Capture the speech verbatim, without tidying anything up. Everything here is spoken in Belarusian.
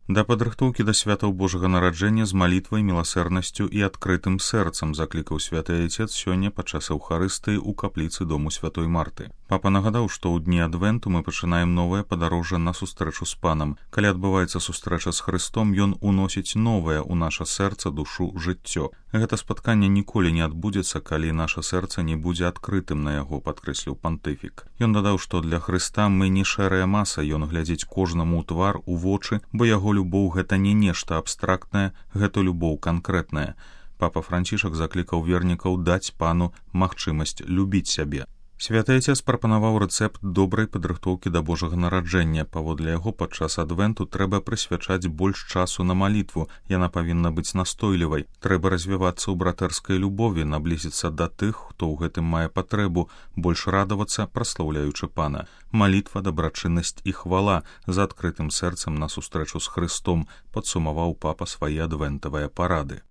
Да падрыхтоўкі да святаў Божага нараджэння з малітвай, міласэрнасцю і адкрытым сэрцам заклікаў святы айцец сёння падчас эўхарыстыі ў капліцы дому святой Марты. Папа нагадаў, што ў дні адвенту мы пачынаем новае падарожжа на сустрэчу з Панам. Калі адбываецца сустрэча з Хрыстом, ён уносіць новае ў наша сэрца, душу, жыццё. Гэта спатканне ніколі не адбудзецца, калі наша сэрца не будзе адкрытым на яго, падкрэсліў пантыфік. Ён дадаў, што для Хрыста мы не шэрая маса, ён глядзіць кожнаму ў твар, у вочы, бо яго любоў гэта не нешта абстрактнае, гэта любоў канкрэтная. Папа Францішак заклікаў вернікаў даць Пану магчымасць любіць сябе. Святы айцец прапанаваў рэцэпт добрай падрыхтоўкі да Божага нараджэння. Паводле яго, падчас адвенту трэба прысвячаць больш часу на малітву, яна павінна быць настойлівай. Трэба развівацца ў братэрскай любові, наблізіцца да тых, хто ў гэтым мае патрэбу, больш радавацца, праслаўляючы Пана. Малітва, дабрачыннасць і хвала за адкрытым сэрцам на сустрэчу з Хрыстом, падсумаваў папа свае адвентавыя парады.